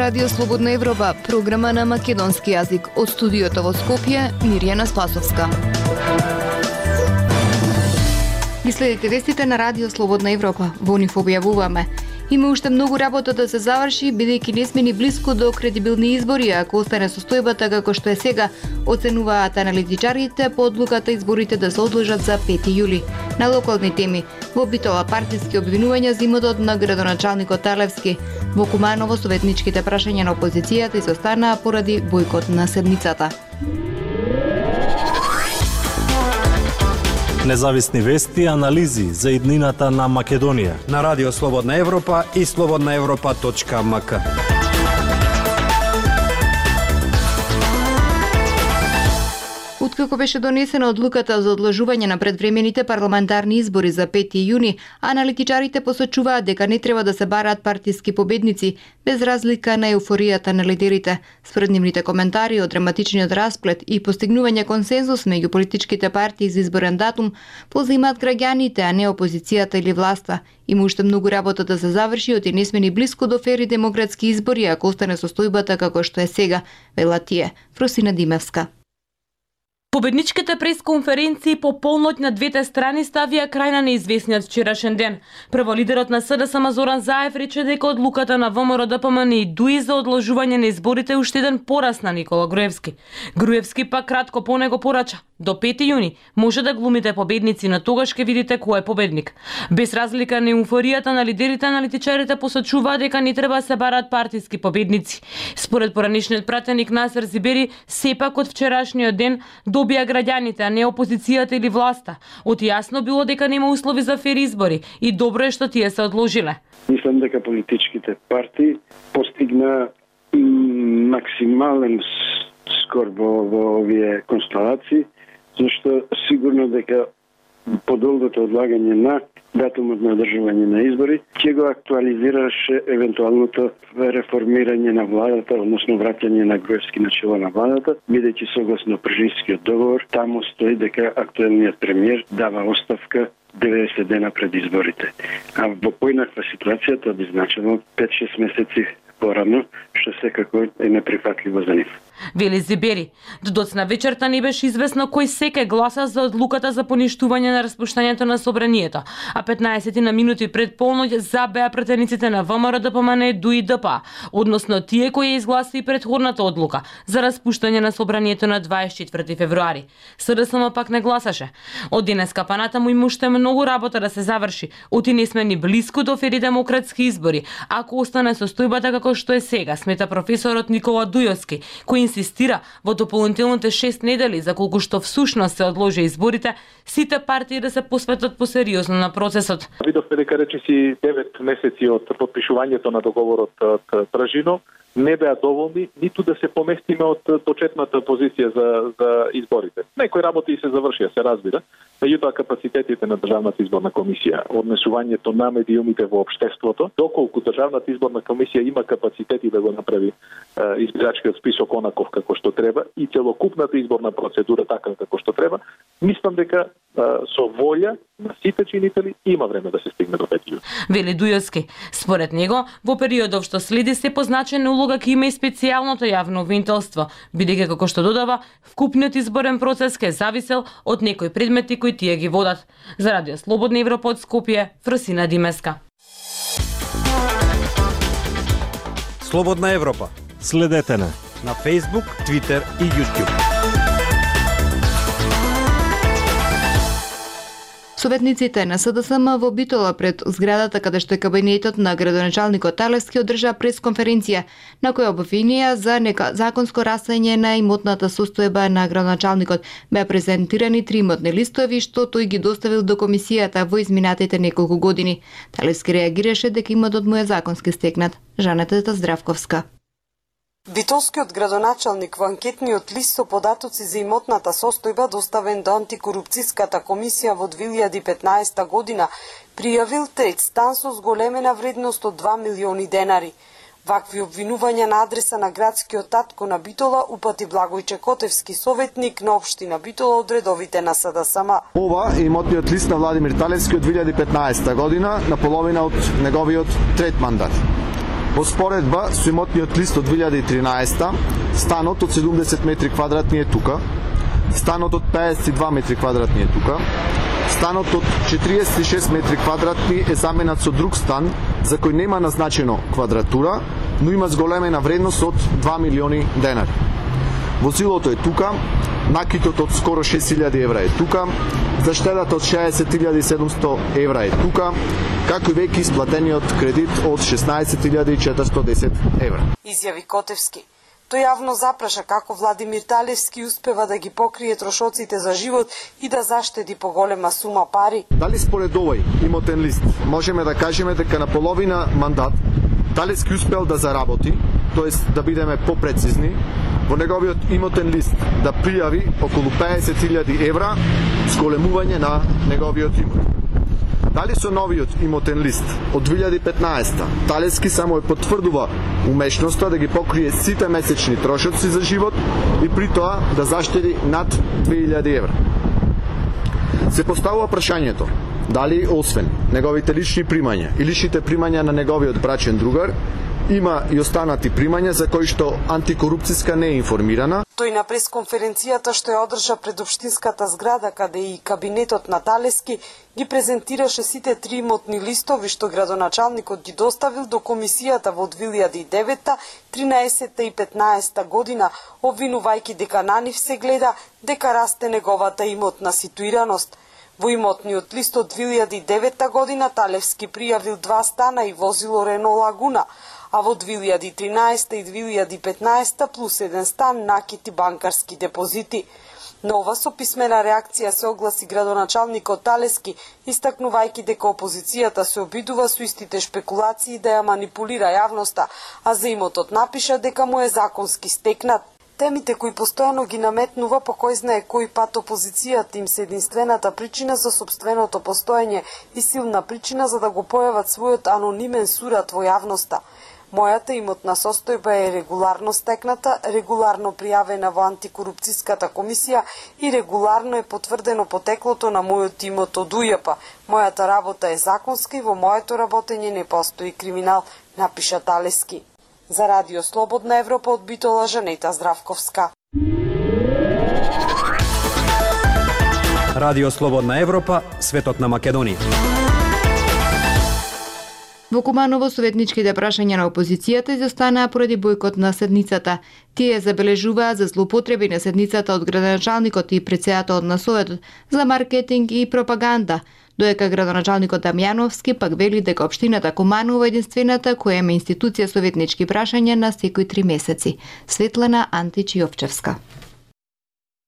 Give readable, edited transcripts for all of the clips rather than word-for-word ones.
Радио Слободна Европа, програма на македонски јазик. Од студиото во Скопје, Мирјана Спасовска. Ги следите вестите на Радио Слободна Европа. Во нив објавуваме: има уште многу работа да се заврши, бидејќи не сме ни блиску до кредибилни избори, ако остане состојбата како што е сега, оценуваат аналитичарите по одлуката изборите да се одложат за 5 јули. На локални теми, во Битола партиски обвинувања за имотот на градоначалникот Талевски. Во Куманово советничките прашања на опозицијата изостанаа поради бојкот на седницата. Независни вести и анализи за иднината на Македонија на Радио Слободна Европа и slobodnaevropa.mk. Откако беше донесена одлуката за одложување на предвремените парламентарни избори за 5 јуни, аналитичарите посочуваат дека не треба да се бараат партиски победници, без разлика на еуфоријата на лидерите. Според нивните коментари од драматичниот расплет и постигнување консензус меѓу политичките партии за изборен датум, позаимаат граѓаните, а не опозицијата или власта. Има уште многу работа да се заврши, оти не сме ни блиску до фери демократски избори, ако остане состојбата како што е сега, велат тие. Фросина Димевска. Победничките пресконференции по полноќ на двете страни ставија крај на неизвестниот вчерашен ден. Прво лидерот на СДСМ Зоран Заев рече дека одлуката на ВМРО ДПМН и ДУИ за одложување на изборите уште еден порас на Никола Груевски. Груевски пак кратко по него порача: до 5 јуни може да глумите победници, но тогаш ќе видите кој е победник. Без разлика на еуфоријата на лидерите, аналитичарите посочуваат дека не треба да се бараат партиски победници. Според поранешниот пратеник Насер Зибери, сепак од вчерашниот ден добија граѓаните, а не опозицијата или власта. Оти јасно било дека нема услови за фер избори и добро е што тие се одложиле. Мислам дека политичките партии постигна максимален скор во овие констелации, зашто сигурно дека подолгото одлагање на датумот на одржување на избори ќе го актуализираше евентуалното реформирање на владата, односно враќање на Груевски на чело на владата, бидејќи согласно Пржинскиот договор таму стои дека актуелниот премиер дава оставка 90 дена пред изборите. А во поинаква ситуација тоа би значило 5-6 месеци порано, што секако е неприфатливо за нив. Вели Зибери, до доцна вечерта не беше известно кој секој гласа за одлуката за поништување на распуштањето на собранието, а 15 на минути пред полноќ забеа претениците на ВМРО ДПМН, ДУИ ДПА, односно тие кои изгласи и предходната одлука за распуштање на собранието на 24 февруари. СДСМ пак не гласаше. Од денеска па натаму има уште многу работа да се заврши, оти не сме ни блиску до фери демократски избори, ако остане состојбата како што е сега, смета професорот Никола Дујовски, кој инсистира во дополнителните 6 недели за колку што всушност се одложи изборите, сите партии да се посветат посериозно на процесот. Видовме дека речиси 9 месеци од подпишувањето на договорот од Пражино не беа доволни ниту да се поместиме од почетната позиција за изборите. Некои работи се завршија, се разбира, меѓутоа капацитетите на Државната изборна комисија, однесувањето на медиумите во општеството, доколку Државната изборна комисија има капацитети да го направи избирачкиот список онаков како што треба и целокупната изборна процедура така како што треба, мислам дека со волја на сите чинители има време да се стигне до 5 јуни. Вели Дујовски. Според него, во периодов што следи се позначена улога ќе има и специјалното јавно обвинителство, бидејќи како што додава, вкупниот изборен процес ќе зависел од некои предмети кои тие ги водат. За Радио Слободна Европа од Скопје, Фросина Димеска. Слободна Европа. Следете на Facebook, Twitter и YouTube. Советниците на СДСМ во Битола пред зградата каде што е кабинетот на градоначалникот Талевски одржа пресконференција на која обвинија за законско расање на имотната состојба на градоначалникот. Беа презентирани 3 имотни листови што тој ги доставил до комисијата во изминатите неколку години. Талевски реагираше дека имотот му е законски стекнат. Жанета Здравковска. Битолскиот градоначалник во анкетниот лист со податоци за имотната состојба доставен до антикорупцијската комисија во 2015 година пријавил трет стан со зголемена вредност од 2 милиони денари. Вакви обвинувања на адреса на градскиот татко на Битола упати Благојче Котевски, советник на општина Битола од редовите на СДСМ. Ова е имотниот лист на Владимир Талевски од 2015 година, на половина од неговиот трет мандат. Во споредба со имотниот лист од 2013, станот од 70 метри квадратни е тука, станот од 52 метри квадратни е тука, станот од 46 метри квадратни е заменат со друг стан за кој нема назначено квадратура, но има зголемена вредност од 2 милиони денари. Возилото е тука, накитот од скоро 6.000 евра е тука, заштедата од 60.700 евра е тука, како и веќе исплатениот кредит од 16.410 евра. Изјави Котевски. Тој јавно запраша како Владимир Талевски успева да ги покрие трошоците за живот и да заштеди поголема сума пари. Дали според овој имотен лист можеме да кажеме дека на половина мандат Талевски успел да заработи, тоест да бидеме попрецизни, во неговиот имотен лист да пријави околу 50.000 евра зголемување на неговиот имот. Дали со новиот имотен лист од 2015 Талевски само е потврдува умешноста да ги покрие сите месечни трошоци за живот и при тоа да заштеди над 2.000 евра. Се поставува прашањето дали освен неговите лични примања и личните примања на неговиот брачен другар, има и останати примања за кои што антикорупцијска не е информирана. Тој на пресконференцијата што ја одржа пред општинската зграда, каде и кабинетот на Талевски, ги презентираше сите три имотни листови што градоначалникот ги доставил до комисијата во 2009, 13 и 15 година, обвинувајќи дека на нив се гледа дека расте неговата имотна ситуираност. Во имотниот лист од 2009 година Талевски пријавил 2 стана и возило Рено Лагуна, а во 2013 и 2015 плюс 1 стан накити банкарски депозити. На ова со писмена реакција се огласи градоначалникот Талевски, истакнувајќи дека опозицијата се обидува со истите шпекулации да ја манипулира јавноста, а за имотот напиша дека му е законски стекнат. Темите кои постојано ги наметнува по кој знае кој пат опозицијата им се единствената причина за сопственото постоење и силна причина за да го појават својот анонимен сурат во јавноста. Мојата имотна состојба е регуларно стекната, регуларно пријавена во антикорупцијската комисија и регуларно е потврдено потеклото на мојот имот од УЈП. Мојата работа е законска и во моето работење не постои криминал, напиша Талевски. За Радио Слободна Европа од Битола, Жанета Здравковска. Радио Слободна Европа, светот на Македонија. Во Куманово советничките прашања на опозицијата изостанаа поради бојкот на седницата. Тие забележуваат за злоупотреби на седницата од градоначалникот и претседателот на Советот за маркетинг и пропаганда, доека градоначалникот Дамјановски пак вели дека општината Куманово е единствената која има институција советнички прашања на секои 3 месеци. Светлана Антич Јовчевска.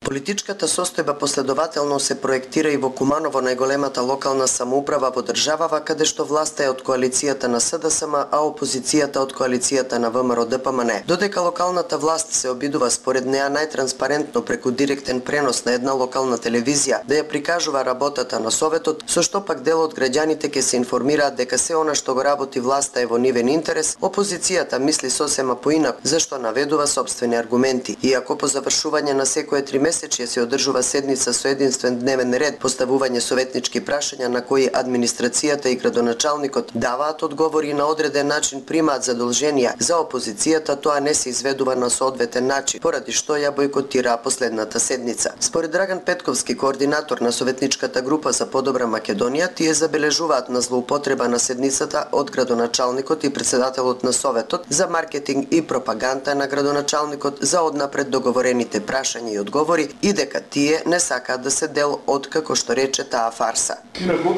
Политичката состојба последователно се проектира и во Куманово, најголемата локална самоуправа во државава, каде што власта е од коалицијата на СДСМ, а опозицијата од коалицијата на ВМРО-ДПМН. Додека локалната власт се обидува според неа најтранспарентно преку директен пренос на една локална телевизија да ја прикажува работата на Советот, со што пак дел од граѓаните ќе се информираат дека се она што го работи власта е во нивен интерес, опозицијата мисли сосема поинак, зашто наведува сопствени аргументи. Иако по завршување на секое 3 месечје се одржува седница со единствен дневен ред, поставување советнички прашања на кои администрацијата и градоначалникот даваат одговори на одреден начин, примаат задолженија, за опозицијата тоа не се изведува на соодветен начин, поради што ја бојкотира последната седница. Според Драган Петковски, координатор на советничката група за подобра Македонија, тие забележуваат на злоупотреба на седницата од градоначалникот и претседателот на Советот за маркетинг и пропаганда на градоначалникот за однапред договорените прашања и одговори и дека тие не сакаат да се дел од, како што рече, таа фарса. Инаку,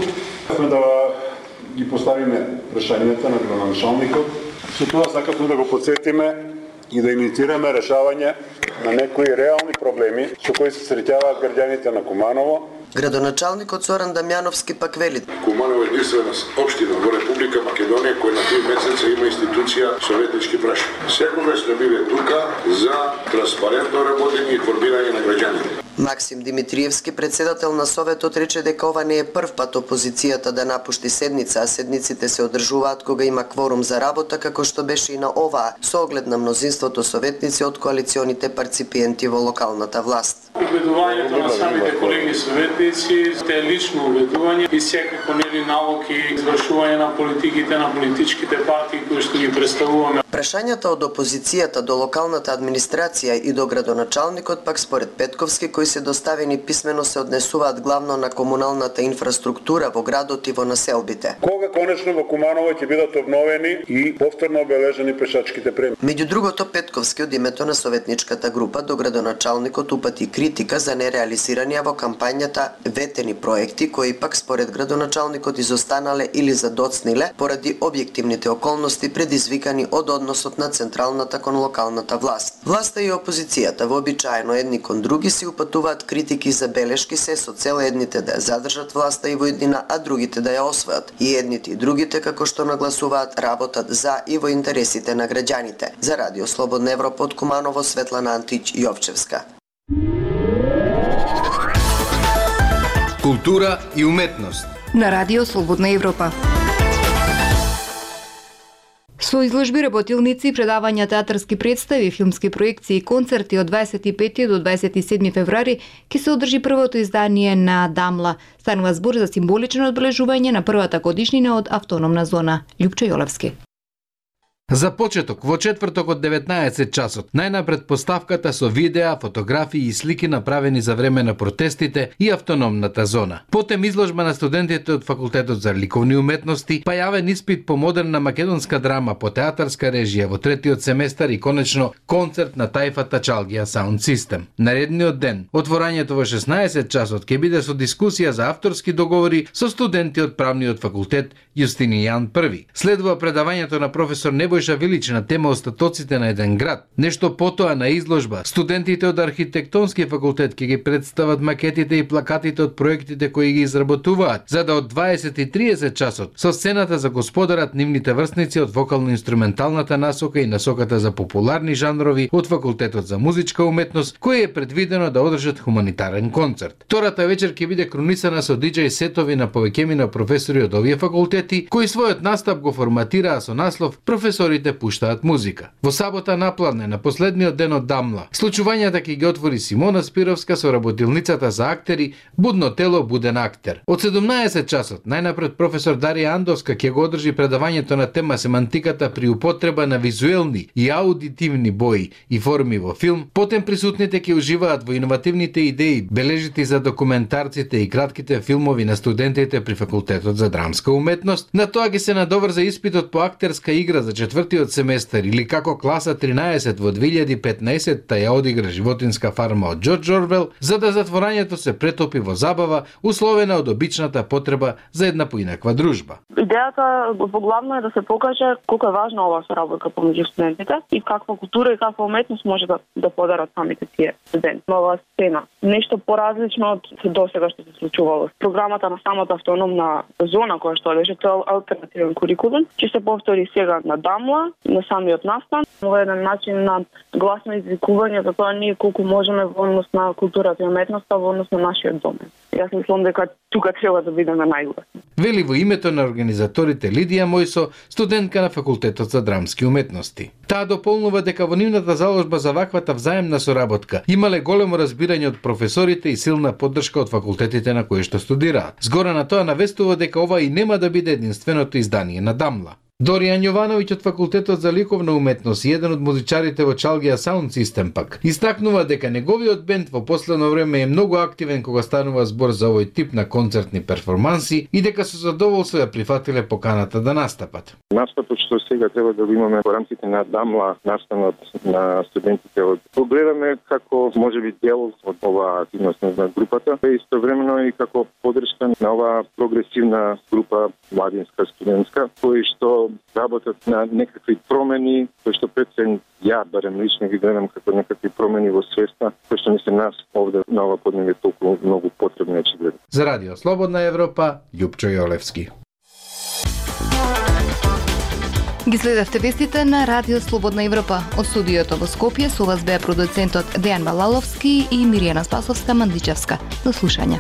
сме да ги поставиме прашањата на градоначалникот, со тоа сакавме да го подсетиме и да инициираме решавање на некои реални проблеми со кои се среќаваат граѓаните на Куманово. Градоначалникот Зоран Дамјановски пак вели: Куманово е единствена општина во Република Македонија која на 3 месеца има институција советнички прашања. Секогаш сме биле тука за транспарентно работење и информирање на граѓаните. Максим Димитриевски, председател на Советот, рече дека ова не е прв пат опозицијата да напушти седница, а седниците се одржуваат кога има кворум за работа, како што беше и на оваа, со оглед на мнозинството советници од коалиционите парципиенти во локалната власт. Убедувањето на самите колеги советници е лично убедување и секако нели налог и извршување на политиките на политичките партии кои што ги представуваме. Прашањата од опозицијата до локалната администрација и до градоначалникот пак според Петковски, кои се доставени писмено, се однесуваат главно на комуналната инфраструктура во градот и во населбите. Кога конечно во Куманово ќе бидат обновени и повторно обележени пешачките премии. Меѓу другото, Петковски од името на советничката група до градоначалникот упати критика за нереализирање во кампањата ветени проекти, кои пак според градоначалникот изостанале или задоцниле поради објективните околности предизвикани од односот на централната кон локалната власт. Власта и опозицијата вообичаено едни кон други си упатуваат критики и забелешки се со цел едните да ја задржат власта и во иднина, а другите да ја освојат. И едните и другите, како што нагласуваат, работат за и во интересите на граѓаните. За Радио Слободна Европа од Куманово, Светлана Антич Јовчевска. Култура и уметност на Радио Слободна Европа. Со изложби, работилници, предавања, театарски представи, филмски проекции и концерти од 25 до 27 февруари ќе се одржи првото издание на Дамла. Станува збор за символично одбележување на првата годишнина од автономна зона. Љупчо Јолевски. За почеток, во четврток од 19 часот, најнапред поставката со видеа, фотографии и слики направени за време на протестите и автономната зона. Потем изложба на студентите од Факултетот за ликовни уметности, па јавен испит по модерна македонска драма по театарска режија во третиот семестар и конечно концерт на тајфата Чалгија Sound System. Наредниот ден, отворањето во 16 часот ќе биде со дискусија за авторски договори со студенти од правниот факултет Јустинијан I. Следува предавањето на професор Небојша Вилич на тема остатоците на еден град. Нешто потоа на изложба, студентите од архитектонски факултет ќе ги представат макетите и плакатите од проектите кои ги изработуваат, за да од 20:30 часот со сцената за господарат нивните врсници од вокално-инструменталната насока и насоката за популарни жанрови од Факултетот за музичка уметност, кој е предвидено да одржат хуманитарен концерт. Втората вечер ќе биде крунисана со диџеј сетови на повеќемина професори од овие факултети, кои својот настап го форматираа со наслов "Професорите пуштаат музика". Во сабота напладне, на последниот ден од Дамла, случувањата ќе ги отвори Симона Спировска со работилницата за актери "Будно тело, буден актер". Од 17 часот, најнапред професор Дарија Андовска ќе го одржи предавањето на тема семантиката при употреба на визуелни и аудитивни бои и форми во филм. Потем присутните ќе уживаат во иновативните идеи, бележити за документарците и кратките филмови на студентите при Факултетот за драмска уметност. На тоа ќе се надоврза испитот по актерска игра за четвртиот семестар или како класа 13 во 2015-та ја одигра Животинска фарма од Џорџ Орвел, за да затворањето се претопи во забава, условена од обичната потреба за една поинаква дружба. Идејата поглавно е да се покаже колку е важна оваа соработка помеѓу студентите и каква култура и каква уметност може да подарат самите тие студенти. Нова сцена, нешто поразлично од досега што се случувало. Програмата на самата автономна зона која што беше тоа алтернативен курикулум, ќе се повтори сега на Дамла, на самиот настан. Ова е еден начин на гласно извикување за тоа ние колку можеме во однос на културата и уметноста во однос на нашиот домен. Јас мислам дека тука треба да бидеме најгласни. Вели во името на организаторите Лидија Мојсо, студентка на Факултетот за драмски уметности. Таа дополнува дека во нивната заложба за ваквата взаемна соработка имале големо разбирање од професорите и силна поддршка од факултетите на кои што студираат. Згора на тоа навестува дека ова и нема да биде единственото издание на Дамла. Доријан Јовановиќ од Факултетот за ликовна уметност и еден од музичарите во Чалгија Sound System пак истакнува дека неговиот бенд во последно време е многу активен кога станува збор за овој тип на концертни перформанси и дека со задоволство ја прифатиле поканата да настапат. Настапот што сега треба да го имаме во рамките на Дамла, настанот на студентите од погледаме како можеби дел од оваа активност на групата, и истовремено и како поддршка на оваа прогресивна група младинска студентска, кои што работат на некакви промени, кои што пред се ја барем лично ги гледам како некакви промени во свеста, кои што не се нас овде на ова подневје толку многу потребни очигледно. За Радио Слободна Европа, Љупчо Јолевски. Ги следевте вестите на Радио Слободна Европа. Од студиото во Скопје со вас беа продуцентот Дејан Балаловски и Миријана Спасовска-Мандичевска. До слушање.